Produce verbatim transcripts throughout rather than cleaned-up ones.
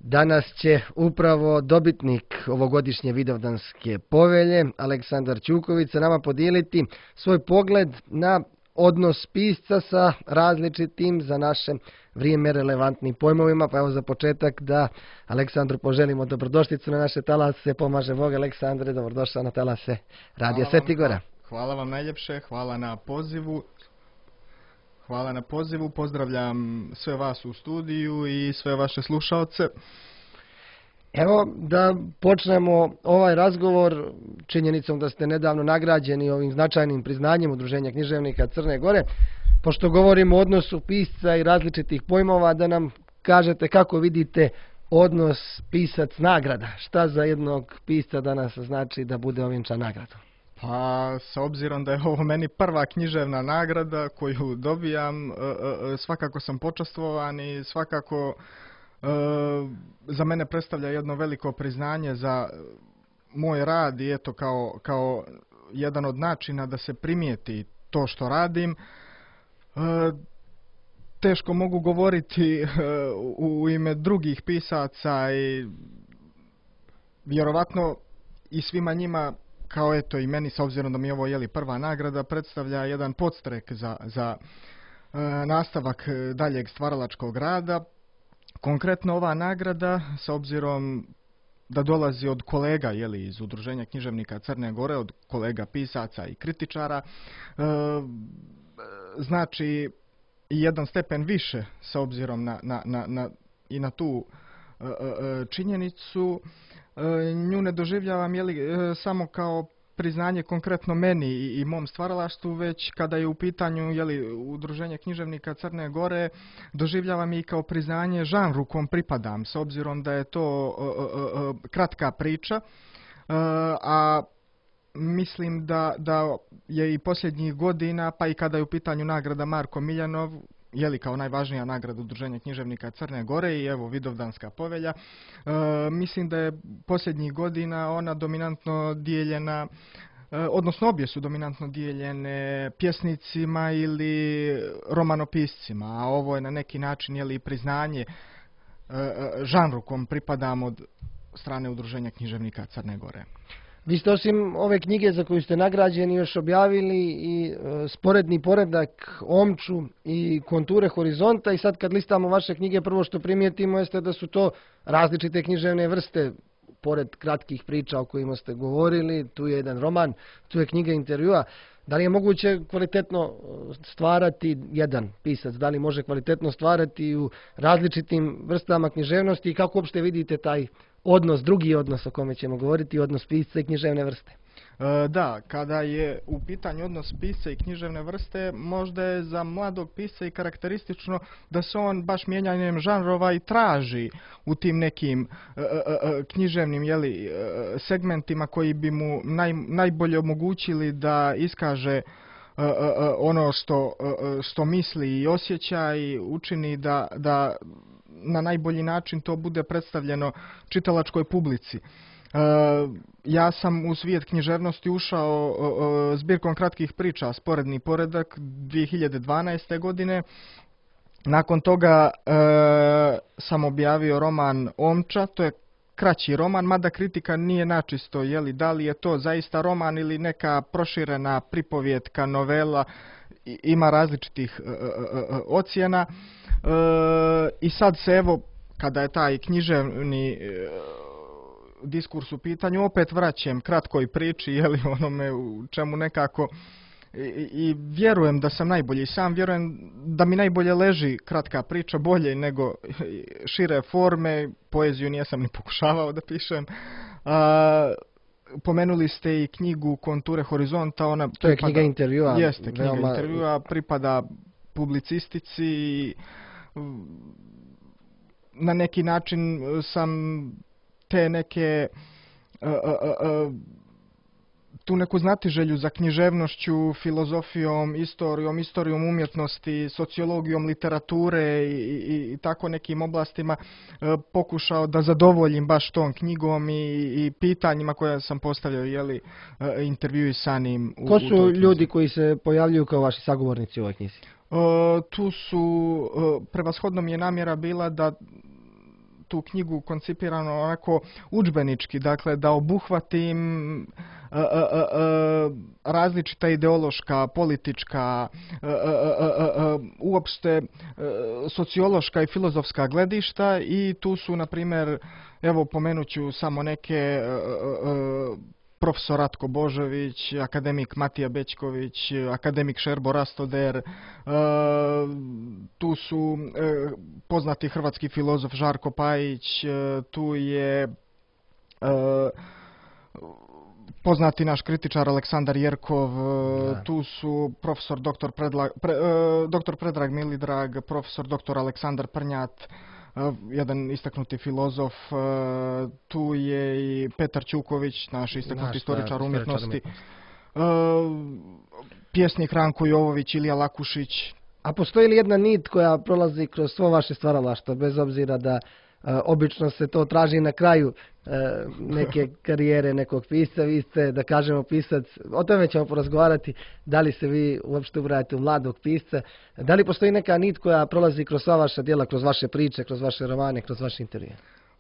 Danas će upravo dobitnik ovogodišnje Vidovdanske povelje, Aleksandar Ćuković, sa nama podijeliti svoj pogled na odnos pisca sa različitim za naše vrijeme relevantnim pojmovima. Pa evo za početak da Aleksandru poželimo dobrodošlicu na naše talase. Pomaže Bog. Aleksandre, dobrodošao na talase Radija Sveti Gora. Hvala vam najljepše, hvala na pozivu. Hvala na pozivu, pozdravljam sve vas u studiju i sve vaše slušaoce. Evo da počnemo ovaj razgovor činjenicom da ste nedavno nagrađeni ovim značajnim priznanjem Udruženja književnika Crne Gore. Pošto govorimo o odnosu pisca i različitih pojmova, da nam kažete kako vidite odnos pisac-nagrada. Šta za jednog pisca danas znači da bude ovjenčan nagradom? Pa, s obzirom da je ovo meni prva književna nagrada koju dobijam, svakako sam počastvovan i svakako za mene predstavlja jedno veliko priznanje za moj rad i eto kao, kao jedan od načina da se primijeti to što radim. Teško mogu govoriti u ime drugih pisaca i vjerovatno i svima njima, kao eto i meni, s obzirom da mi je ovo jeli prva nagrada, predstavlja jedan podstrek za, za e, nastavak daljeg stvaralačkog rada. Konkretno ova nagrada, s obzirom da dolazi od kolega jeli, iz Udruženja književnika Crne Gore, od kolega pisaca i kritičara, e, znači i jedan stepen više s obzirom na, na, na, na, i na tu e, e, činjenicu. Nju ne doživljavam jeli, samo kao priznanje konkretno meni i, i mom stvaralaštvu, već kada je u pitanju jeli, Udruženje književnika Crne Gore, doživljavam i kao priznanje žanru kom pripadam, s obzirom da je to uh, uh, uh, kratka priča, uh, a mislim da, da je i posljednjih godina, pa i kada je u pitanju nagrada Marko Miljanov, jeli kao najvažnija nagrada Udruženja književnika Crne Gore i evo Vidovdanska povelja, e, mislim da je posljednjih godina ona dominantno dijeljena, e, odnosno obje su dominantno dijeljene pjesnicima ili romanopiscima, a ovo je na neki način jeli priznanje e, žanru kom pripadam od strane Udruženja književnika Crne Gore. Vi ste osim ove knjige za koju ste nagrađeni još objavili i e, sporedni poredak Omču i Konture horizonta, i sad kad listamo vaše knjige prvo što primijetimo jeste da su to različite književne vrste. Pored kratkih priča o kojima ste govorili, tu je jedan roman, tu je knjiga intervjua. Da li je moguće kvalitetno stvarati jedan pisac? Da li može kvalitetno stvarati u različitim vrstama književnosti i kako uopšte vidite taj odnos, drugi odnos o kome ćemo govoriti, odnos pisca i književne vrste? E, da, kada je u pitanju odnos pisca i književne vrste, možda je za mladog pisca i karakteristično da se on baš mijenjanjem žanrova i traži u tim nekim e, e, književnim jeli, segmentima koji bi mu naj, najbolje omogućili da iskaže e, e, ono što, e, što misli i osjeća i učini da, da na najbolji način to bude predstavljeno čitalačkoj publici. E, ja sam u svijet književnosti ušao e, e, zbirkom kratkih priča Sporedni poredak dvije hiljade dvanaeste. godine. Nakon toga e, sam objavio roman Omča, to je kraći roman, mada kritika nije načisto, jeli, da li je to zaista roman ili neka proširena pripovjetka, novela, i, ima različitih e, e, e, ocjena. E, I sad se evo, kada je taj književni e, diskurs u pitanju, opet vraćam kratkoj priči, jeli, onome u čemu nekako i, i vjerujem da sam najbolji. Sam vjerujem da mi najbolje leži kratka priča, bolje nego šire forme. Poeziju nijesam ni pokušavao da pišem. A, pomenuli ste i knjigu Konture horizonta. Ona to pripada, je knjiga intervjua. Jeste, knjiga veoma... intervjua, pripada publicistici i na neki način sam te neke uh, uh, uh, tu neku znatiželju za književnošću, filozofijom, istorijom, istorijom umjetnosti, sociologijom, literature i, i, i tako nekim oblastima uh, pokušao da zadovoljim baš tom knjigom i, i pitanjima koja sam postavljao, jeli, uh, intervjuisanim. U, Ko su u ljudi koji se pojavljuju kao vaši sagovornici u ovoj knjizi? Uh, tu su, uh, prevashodno mi je namjera bila da tu knjigu koncipirano onako udžbenički, dakle da obuhvatim e, e, e, različita ideološka, politička, e, e, e, uopšte sociološka i filozofska gledišta i tu su, na primjer, evo pomenut ću samo neke, e, e, profesor Ratko Božović, akademik Matija Bećković, akademik Šerbo Rastoder, e, tu su e, poznati hrvatski filozof Žarko Pajić, e, tu je e, poznati naš kritičar Aleksandar Jerkov, da. Tu su profesor doktor Predla, pre, e, doktor Predrag Milidrag, profesor doktor Aleksandar Prnjat, jedan istaknuti filozof, tu je i Petar Ćuković, naš istaknuti naš, istoričar da, umjetnosti, pjesnik Ranko Jovović, Ilija Lakušić. A postoji li jedna nit koja prolazi kroz svo vaše stvaralaštvo, bez obzira da Uh, obično se to traži na kraju uh, neke karijere nekog pisca, vi ste, da kažemo, pisac, o tome ćemo porazgovarati, da li se vi uopšte ubrajate u mladog pisca, da li postoji neka nit koja prolazi kroz sva vaša djela, kroz vaše priče, kroz vaše romane, kroz vaše intervjue?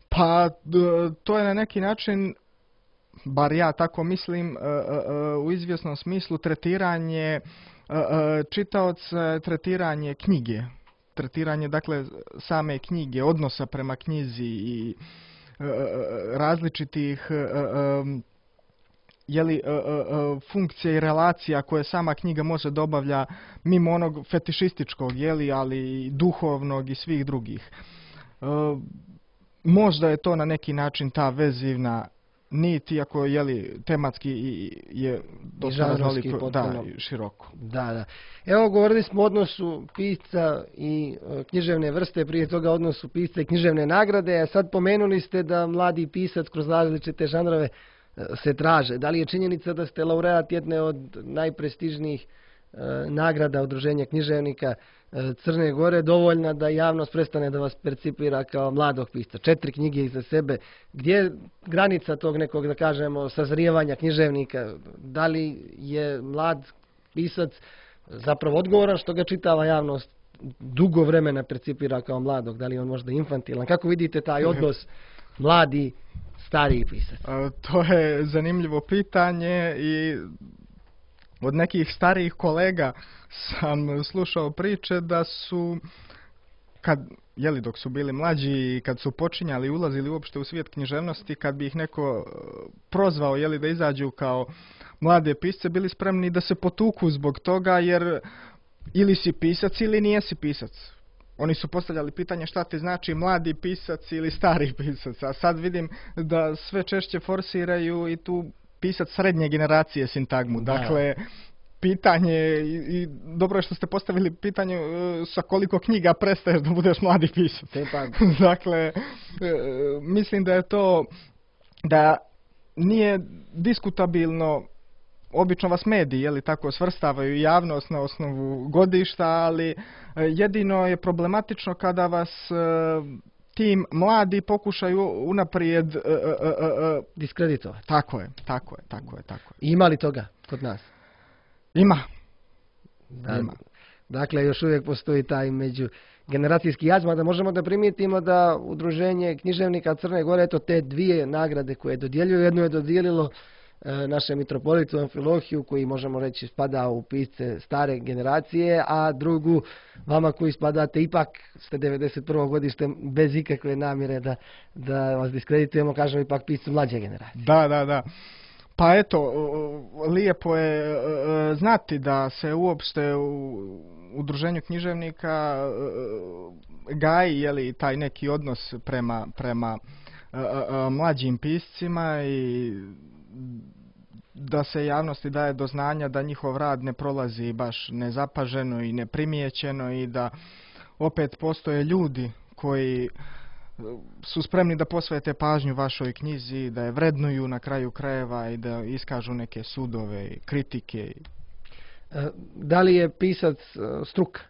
Pa, to je na neki način, bar ja tako mislim, uh, uh, u izvjesnom smislu tretiranje uh, čitaoca, tretiranje knjige. tretiranje, dakle, same knjige, odnosa prema knjizi i e, različitih e, e, jeli, e, e, funkcija i relacija koje sama knjiga može da obavlja mimo onog fetišističkog, jeli, ali i duhovnog i svih drugih. E, možda je to na neki način ta vezivna nit, iako je tematski je dosta raznoliko, da, široko. Da, da. Evo, govorili smo o odnosu pisca i e, književne vrste, prije toga odnosu pisca i književne nagrade, a sad pomenuli ste da mladi pisac kroz različite žanrove e, se traže. Da li je činjenica da ste laureat jedne od najprestižnijih e, nagrada Udruženja književnika e, Crne Gore dovoljna da javnost prestane da vas percipira kao mladog pisca? Četiri knjige iza sebe. Gdje je granica tog nekog, da kažemo, sazrijevanja književnika? Da li je mlad pisac zapravo odgovoran što ga čitava javnost dugo vremena percipira kao mladog? Da li je on možda infantilan? Kako vidite taj odnos mladi, stariji pisac? To je zanimljivo pitanje i od nekih starijih kolega sam slušao priče da su, kad, jeli, dok su bili mlađi i kad su počinjali, ulazili uopšte u svijet književnosti, kad bi ih neko prozvao, jeli, da izađu kao mlade pisce, bili spremni da se potuku zbog toga, jer ili si pisac ili nijesi pisac. Oni su postavljali pitanje šta ti znači mladi pisac ili stari pisac, a sad vidim da sve češće forsiraju i tu pisac srednje generacije sintagmu. Da. Dakle, pitanje, i, i dobro je što ste postavili pitanje uh, sa koliko knjiga prestaješ da budeš mladi pisac. Dakle, uh, mislim da je to, da nije diskutabilno, obično vas mediji, jeli, tako svrstavaju javnost na osnovu godišta, ali uh, jedino je problematično kada vas uh, tim mladi pokušaju unaprijed uh, uh, uh, diskreditovati. Tako je, tako je, tako je, tako je. Ima li toga kod nas? Ima. Da, Ima. Dakle, još uvijek postoji taj međugeneracijski jaz, da možemo da primijetimo da Udruženje književnika Crne Gore, eto te dvije nagrade koje dodjeljuju, jedno je dodijelilo e, našem mitropolitu Amfilohiju, koji možemo reći spada u pisce stare generacije, a drugu vama koji spadate, ipak ste devedeset prvo godište, bez ikakve namjere da, da vas diskreditujemo, kažemo ipak piscu mlađe generacije. Da, da, da. Pa eto, lijepo je znati da se uopšte u Udruženju književnika gaji, jeli, taj neki odnos prema, prema mlađim piscima i da se javnosti daje do znanja da njihov rad ne prolazi baš nezapaženo i neprimijećeno i da opet postoje ljudi koji su spremni da posvete pažnju vašoj knjizi, da je vrednuju na kraju krajeva i da iskažu neke sudove i kritike. Da li je pisac struka?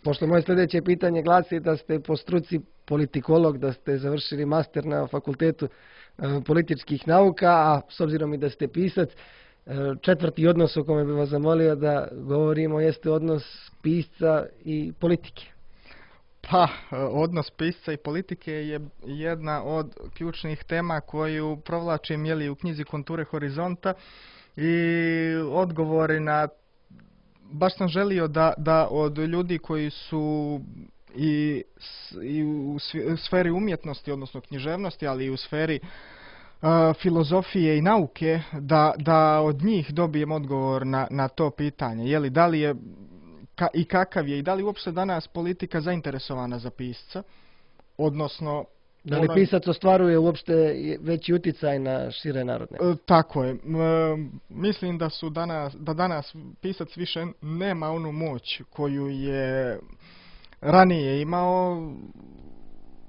Pošto moje sljedeće pitanje glasi da ste po struci politikolog, da ste završili master na Fakultetu političkih nauka, a s obzirom i da ste pisac, četvrti odnos o kome bih vas zamolio da govorimo jeste odnos pisca i politike. Pa, odnos pisca i politike je jedna od ključnih tema koju provlačim jeli, u knjizi Konture horizonta i odgovori na... Baš sam želio da, da od ljudi koji su i, i u sferi umjetnosti, odnosno književnosti, ali i u sferi uh, filozofije i nauke, da, da od njih dobijem odgovor na, na to pitanje. Jeli, da li je ka, i kakav je i da li uopšte danas politika zainteresovana za pisca, odnosno... Da li pisac ostvaruje uopšte veći uticaj na šire narodne? E, tako je. E, mislim da su danas, da danas pisac više nema onu moć koju je ranije imao,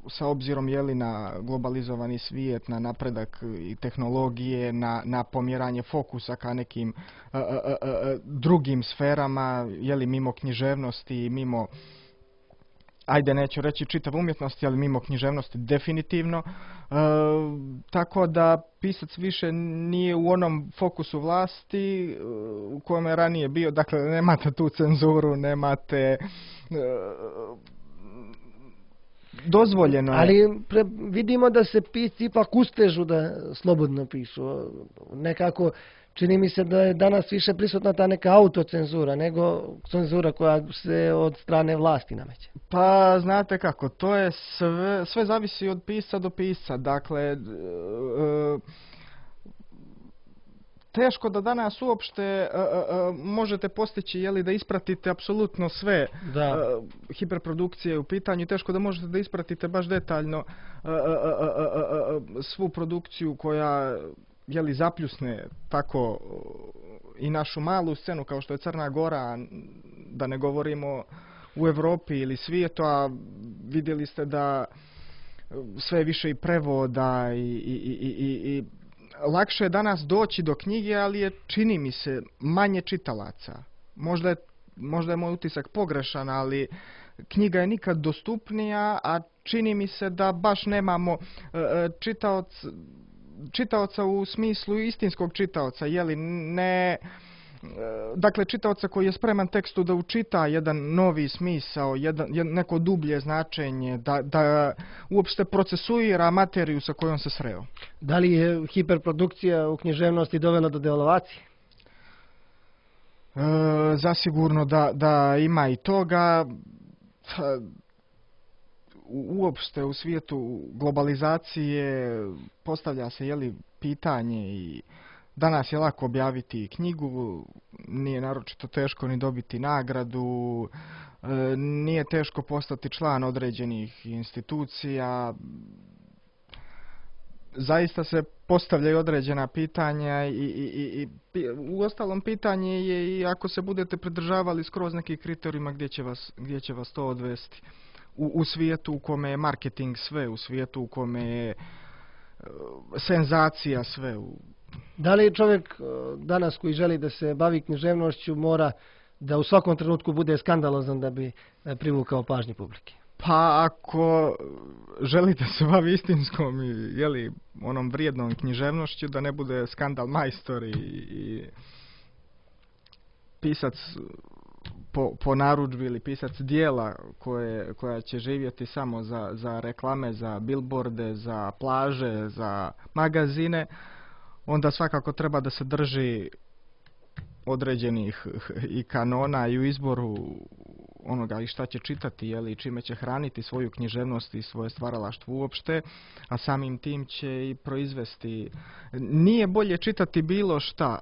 sa obzirom jeli na globalizovani svijet, na napredak i tehnologije, na, na pomjeranje fokusa ka nekim a, a, a, drugim sferama, jeli mimo književnosti, mimo, ajde neću reći čitav umjetnosti, ali mimo književnosti definitivno. E, tako da pisac više nije u onom fokusu vlasti u kojem je ranije bio. Dakle, nemate tu cenzuru, nemate... E, dozvoljeno je. Ali pre, vidimo da se pisci ipak ustežu da slobodno pišu. Nekako čini mi se da je danas više prisutna ta neka autocenzura nego cenzura koja se od strane vlasti nameće. Pa znate kako, to je sve, sve zavisi od pisca do pisca. Dakle, e, teško da danas uopšte e, e, možete postići jeli, da ispratite apsolutno sve da. E, hiperprodukcije u pitanju. Teško da možete da ispratite baš detaljno e, e, e, e, svu produkciju koja jeli, zapljusne tako i našu malu scenu kao što je Crna Gora, da ne govorimo u Evropi ili svijetu, a vidjeli ste da sve više i prevoda i, i, i, i, i lakše je danas doći do knjige, ali je, čini mi se, manje čitalaca. Možda je, možda je moj utisak pogrešan, ali knjiga je nikad dostupnija, a čini mi se da baš nemamo čitaoc, čitaoca u smislu istinskog čitaoca, jeli ne... Dakle, čitaoca koji je spreman tekstu da učita jedan novi smisao, jedan, neko dublje značenje, da, da uopšte procesuira materiju sa kojom se sreo. Da li je hiperprodukcija u književnosti dovela do devalvacije? E, zasigurno da, da ima i toga. Uopšte u svijetu globalizacije postavlja se jeli, pitanje i danas je lako objaviti knjigu, nije naročito teško ni dobiti nagradu, nije teško postati član određenih institucija. Zaista se postavljaju određena pitanja i, i, i, i u ostalom pitanje je i ako se budete pridržavali skroz nekih kriterijima gdje će vas, gdje će vas to odvesti. U, u svijetu u kome je marketing sve, u svijetu u kome je senzacija sve. Da li čovjek danas koji želi da se bavi književnošću mora da u svakom trenutku bude skandalozan da bi privukao pažnju publike? Pa ako želite se bavi istinskom i jeli, onom vrijednom književnošću, da ne bude skandal majstor i, i pisac po, po narudžbi ili pisac dijela koje, koja će živjeti samo za, za reklame, za billboarde, za plaže, za magazine, onda svakako treba da se drži određenih i kanona i u izboru onoga i šta će čitati, jeli, čime će hraniti svoju književnost i svoje stvaralaštvo uopšte, a samim tim će i proizvesti. Nije bolje čitati bilo šta,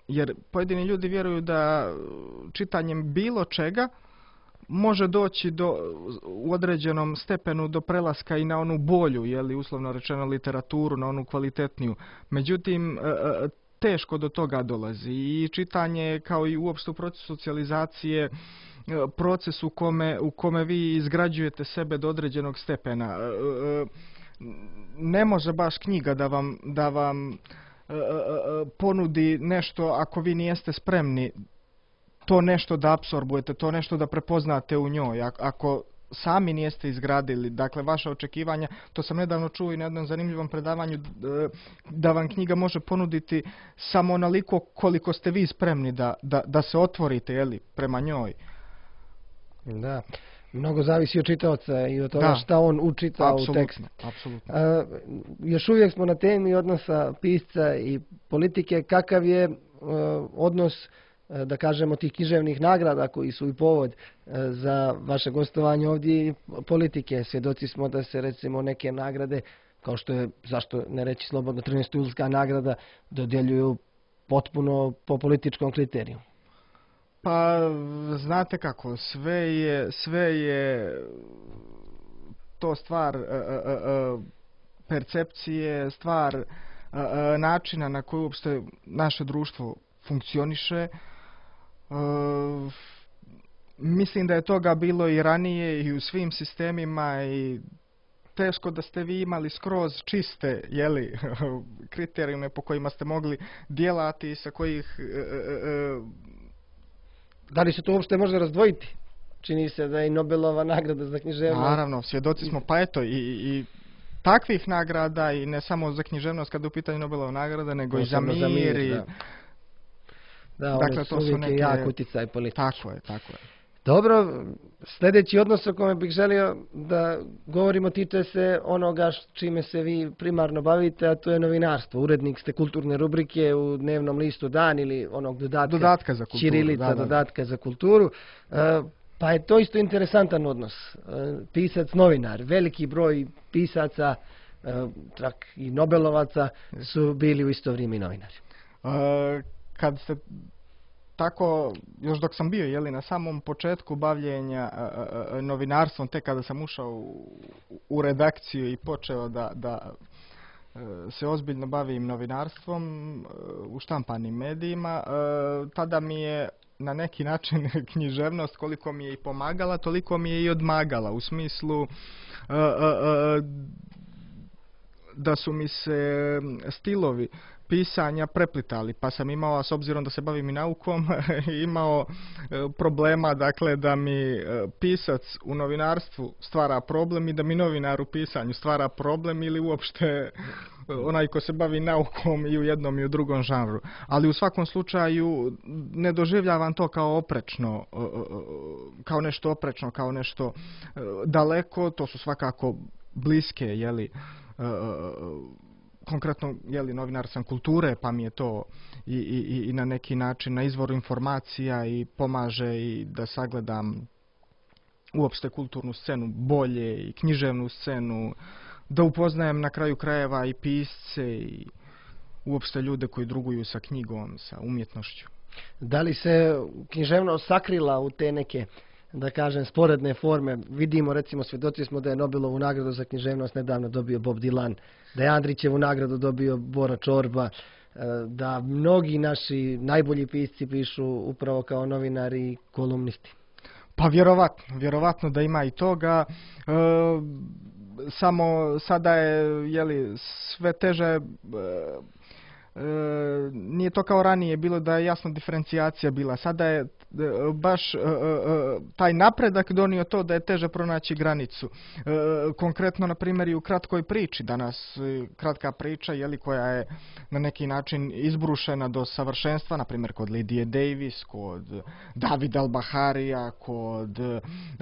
jer pojedini ljudi vjeruju da čitanjem bilo čega može doći do, u određenom stepenu do prelaska i na onu bolju, jeli, uslovno rečeno literaturu, na onu kvalitetniju. Međutim, teško do toga dolazi i čitanje kao i uopšte u procesu socijalizacije, proces u kome, u kome vi izgrađujete sebe do određenog stepena. Ne može baš knjiga da vam, da vam ponudi nešto ako vi nijeste spremni to nešto da apsorbujete, to nešto da prepoznate u njoj. Ako sami nijeste izgradili, dakle, vaša očekivanja, to sam nedavno čuo i na jednom zanimljivom predavanju, da vam knjiga može ponuditi samo onoliko koliko ste vi spremni da, da, da se otvorite, jeli, prema njoj. Da. Mnogo zavisi od čitaoca i od toga Da. šta on učita u tekst. Apsolutno, apsolutno. A, još uvijek smo na temi odnosa pisca i politike. Kakav je e, odnos, e, da kažemo, tih književnih nagrada koji su i povod e, za vaše gostovanje ovdje i politike? Svjedoci smo da se recimo neke nagrade, kao što je, zašto ne reći slobodno, trinaestulska nagrada, dodjeljuju potpuno po političkom kriteriju. Pa, znate kako, sve je, sve je to stvar e, e, e, percepcije, stvar e, e, načina na koji uopšte naše društvo funkcioniše. E, mislim da je toga bilo i ranije i u svim sistemima i teško da ste vi imali skroz čiste, jeli, kriterijume po kojima ste mogli djelati i sa kojih e, e, Da li se to uopšte može razdvojiti? Čini se da je i Nobelova nagrada za književnost. Naravno, svjedoci smo, pa eto, i, i takvih nagrada, i ne samo za književnost kada je u pitanju Nobelova nagrada, nego i za Posebno mir. za mir, i- da. Da, Dakle, one su to su uvijek neke- jak utjecaj politički. Tako je, tako je. Dobro, sljedeći odnos o kome bih želio da govorimo tiče se onoga š- čime se vi primarno bavite, a to je novinarstvo. Urednik ste kulturne rubrike u dnevnom listu Dan ili onog dodatka, Dodatka za kulturu. Ćirilica, da, da, da. dodatka za kulturu. E, pa je to isto interesantan odnos. E, pisac, novinar, veliki broj pisaca, e, čak i Nobelovaca su bili u isto vrijeme i novinari. E, kad ste tako, još dok sam bio, jeli, na samom početku bavljenja e, e, e, novinarstvom, tek kada sam ušao u, u redakciju i počeo da, da e, se ozbiljno bavim novinarstvom e, u štampanim medijima, e, tada mi je na neki način književnost, koliko mi je i pomagala, toliko mi je i odmagala, u smislu e, e, e, da su mi se stilovi pisanja preplitali, pa sam imao, s obzirom da se bavim i naukom, imao e, problema, dakle, da mi e, pisac u novinarstvu stvara problem i da mi novinar u pisanju stvara problem, ili uopšte e, onaj ko se bavi naukom i u jednom i u drugom žanru. Ali u svakom slučaju ne doživljavam to kao oprečno, e, e, kao nešto oprečno, kao nešto e, daleko, to su svakako bliske, jeli, e, e, konkretno, jeli, novinar sam kulture, pa mi je to i, i, i na neki način na izvoru informacija i pomaže i da sagledam uopšte kulturnu scenu bolje i književnu scenu, da upoznajem na kraju krajeva i pisce i uopšte ljude koji druguju sa knjigom, sa umjetnošću. Da li se književnost sakrila u te neke, da kažem, sporedne forme? Vidimo, recimo, svjedoci smo da je Nobelovu nagradu za književnost nedavno dobio Bob Dylan, da je Andrićevu nagradu dobio Bora Čorba, e, da mnogi naši najbolji pisci pišu upravo kao novinari i kolumnisti. Pa vjerovatno, vjerovatno da ima i toga. E, samo sada je, jeli, sve teže, e, e, nije to kao ranije bilo da je jasna diferencijacija bila. Sada je e, baš e, e, taj napredak donio to da je teže pronaći granicu. E, konkretno, na primjer, i u kratkoj priči. Danas e, kratka priča, jeli, koja je na neki način izbrušena do savršenstva, na primjer kod Lidije Davis, kod Davida Al-Baharija, kod e,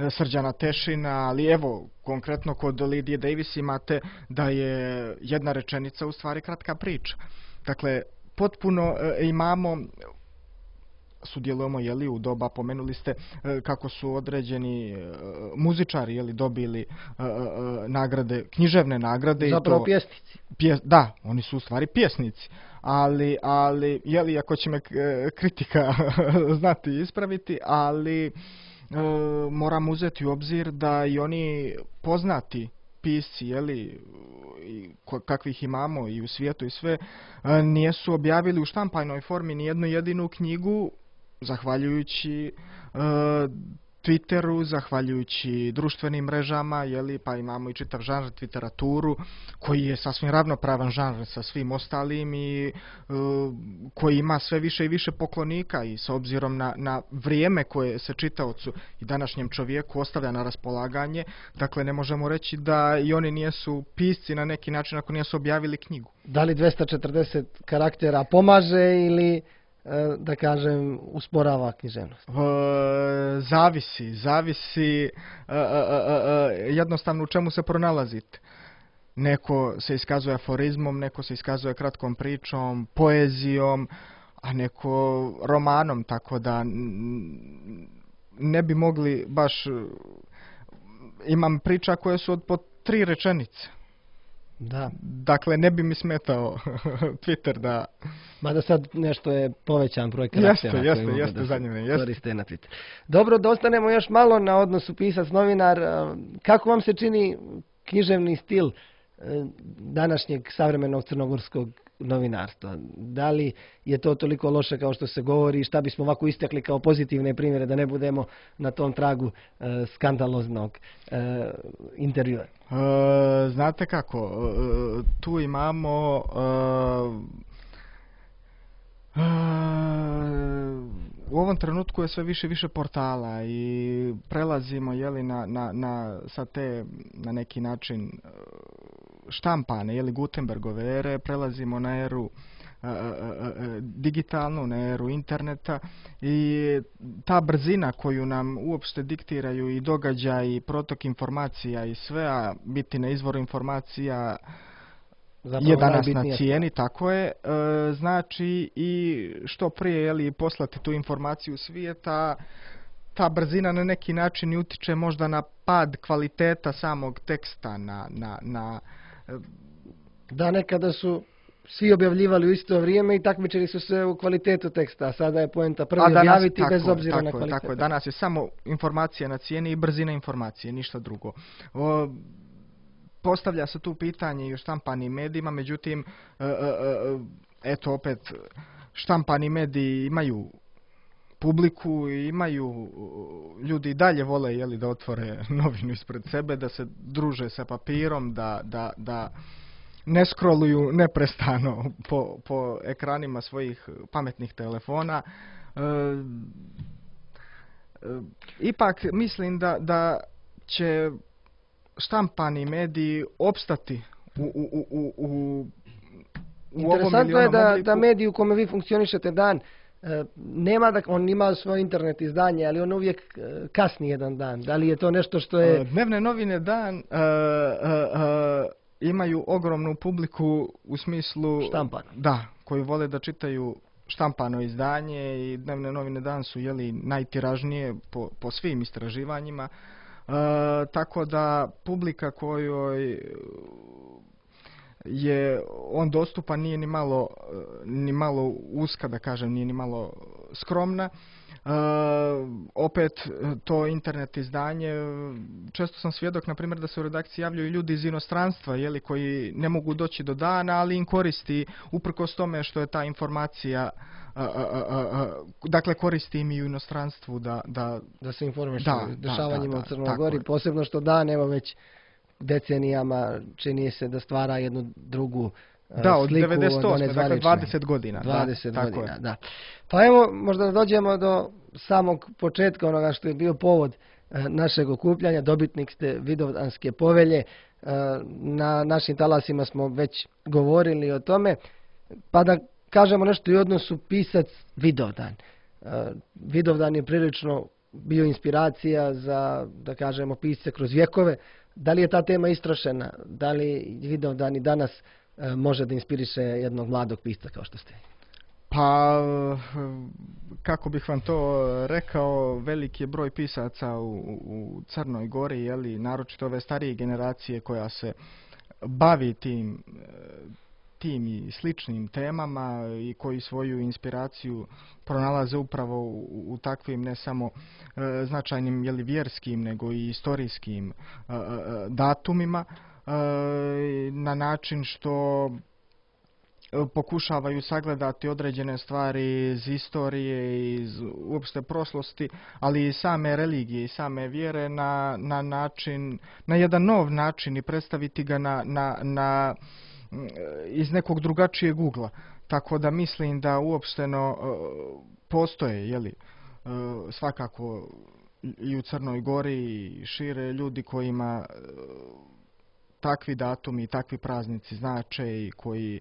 Srđana Tešina, ali evo, konkretno kod Lidije Davis imate da je jedna rečenica u stvari kratka priča. Dakle, potpuno e, imamo, sudjelujemo, jeli, u doba, pomenuli ste e, kako su određeni e, muzičari, jeli, dobili e, e, nagrade, književne nagrade. Zapravo i to, pjesnici. pje, da, oni su u stvari pjesnici. Ali, ali, jeli, ako će me e, kritika znati ispraviti, ali e, moram uzeti u obzir da i oni poznati pisci, jeli, i ko- kakvih imamo i u svijetu i sve, e, nijesu objavili u štampajnoj formi ni jednu jedinu knjigu, zahvaljujući e, Twitteru, zahvaljujući društvenim mrežama, jeli, pa imamo i čitav žanr twitteraturu, koji je sasvim ravnopravan žanr sa svim ostalim i e, koji ima sve više i više poklonika, i s obzirom na, na vrijeme koje se čitaocu i današnjem čovjeku ostavlja na raspolaganje, dakle ne možemo reći da i oni nijesu pisci na neki način ako nijesu objavili knjigu. Da li dvesta četrdeset karaktera pomaže ili da kažem, usporava književnost? E, zavisi, zavisi e, e, e, jednostavno u čemu se pronalazite. Neko se iskazuje aforizmom, neko se iskazuje kratkom pričom, poezijom, a neko romanom, tako da ne bi mogli baš... Imam priča koje su od po tri rečenice. Da. Dakle, ne bi mi smetao Twitter da... Mada sad nešto je povećan broj karaktera. Jeste, jeste, jeste, da zanimljivo, jeste. Koriste na Twitter. Dobro, da ostanemo još malo na odnosu pisac-novinar. Kako vam se čini književni stil današnjeg savremenog crnogorskog novinarstva? Da li je to toliko loše kao što se govori? Šta bismo ovako istakli kao pozitivne primjere da ne budemo na tom tragu e, skandaloznog e, intervjua? E, znate kako, e, tu imamo e, e, u ovom trenutku je sve više više portala i prelazimo jeli, na, na, na, sa te na neki način štampane, jeli, Gutenbergove ere, prelazimo na eru e, e, digitalnu, na eru interneta i ta brzina koju nam uopšte diktiraju i događaj i protok informacija i sve, a biti na izvoru informacija zapravo je danas na cijeni, tako je, e, znači i što prije jeli, poslati tu informaciju svijeta, ta brzina na neki način i utiče možda na pad kvaliteta samog teksta, na, na, na da, nekada su svi objavljivali u isto vrijeme i takmičili su se u kvalitetu teksta, a sada je poenta prvi danas, objaviti tako, bez obzira tako, na kvalitet. Tako je, danas je samo informacija na cijeni i brzina informacije, ništa drugo. O, postavlja se tu pitanje i u štampanim medijima, međutim, e, e, eto opet, štampani mediji imaju publiku i imaju, ljudi i dalje vole jeli, da otvore novinu ispred sebe, da se druže sa papirom, da, da, da ne scrolluju neprestano po, po ekranima svojih pametnih telefona. E, e, ipak mislim da, da će štampani mediji opstati u, u, u, u, u Interesantno je da, da mediji u kome vi funkcionišete dan nema da on ima svoje internet izdanje, ali on uvijek kasni jedan dan. Da li je to nešto što je... Dnevne novine dan uh, uh, uh, imaju ogromnu publiku u smislu... Štampano. Da, koji vole da čitaju štampano izdanje i dnevne novine dan su jeli, najtiražnije po, po svim istraživanjima. Uh, tako da publika kojoj je on dostupan nije ni malo, ni malo uska, da kažem, nije ni malo skromna. E, opet to internet izdanje, često sam svjedok, na primjer, da se u redakciji javljaju ljudi iz inostranstva, jeli, koji ne mogu doći do dana, ali im koristi, uprkos tome što je ta informacija, a, a, a, a, dakle koristi im i u inostranstvu da, da, da se informiš o dešavanjima da, da, u Crnoj Gori, posebno što dan, evo već decenijama čini se da stvara jednu drugu da, od sliku devedeset osme, od dakle dvadeset godina. dvadeset da, godina, tako da. Pa evo, možda dođemo do samog početka onoga što je bio povod našeg okupljanja. Dobitnik ste Vidovdanske povelje. Na našim talasima smo već govorili o tome. Pa da kažemo nešto i o odnosu pisac-Vidovdan. Vidovdan je prilično bio inspiracija za, da kažemo, pisce kroz vjekove. Da li je ta tema istrošena? Da li Vidovdan i danas e, može da inspiriše jednog mladog pisca kao što ste? Pa, kako bih vam to rekao, veliki je broj pisaca u, u Crnoj Gori, jeli, naročito ove starije generacije koja se bavi tim, tim i sličnim temama i koji svoju inspiraciju pronalaze upravo u, u takvim ne samo e, značajnim jeli, vjerskim nego i istorijskim e, e, datumima e, na način što pokušavaju sagledati određene stvari iz istorije, iz uopšte prošlosti, ali i same religije i same vjere na, na način, na jedan nov način i predstaviti ga na, na, na iz nekog drugačijeg ugla. Tako da mislim da uopšteno postoje, jeli, svakako i u Crnoj Gori i šire ljudi kojima takvi datumi i takvi praznici znače i koji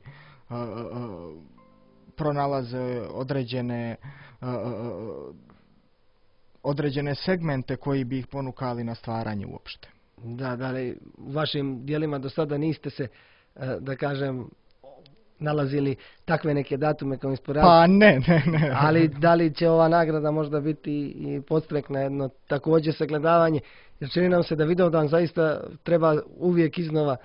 pronalaze određene e, određene segmente koji bi ih ponukali na stvaranje uopšte. Da, da li u vašim dijelima do sada niste se, e, da kažem, nalazili takve neke datume kao inspiracije? Pa ne, ne, ne. Ali da li će ova nagrada možda biti i podstrek na jedno također sagledavanje? Jer čini nam se da Vidovdan zaista treba uvijek iznova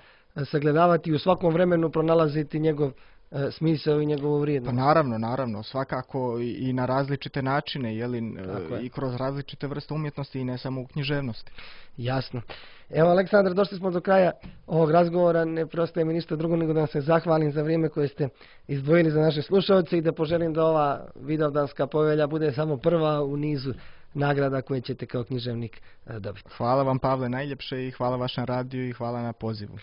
sagledavati i u svakom vremenu pronalaziti njegov e, smisao i njegovu Pa vrijednost. naravno, naravno, svakako i, i na različite načine, jeli, Tako je. i kroz različite vrste umjetnosti i ne samo u književnosti. Jasno. Evo, Aleksandar, došli smo do kraja ovog razgovora. Ne preostaje mi ništa drugo nego da vam se zahvalim za vrijeme koje ste izdvojili za naše slušalce i da poželim da ova Vidovdanska povelja bude samo prva u nizu nagrada koje ćete kao književnik e, dobiti. Hvala vam, Pavle, najljepše, i hvala vašem radiju i hvala na pozivu.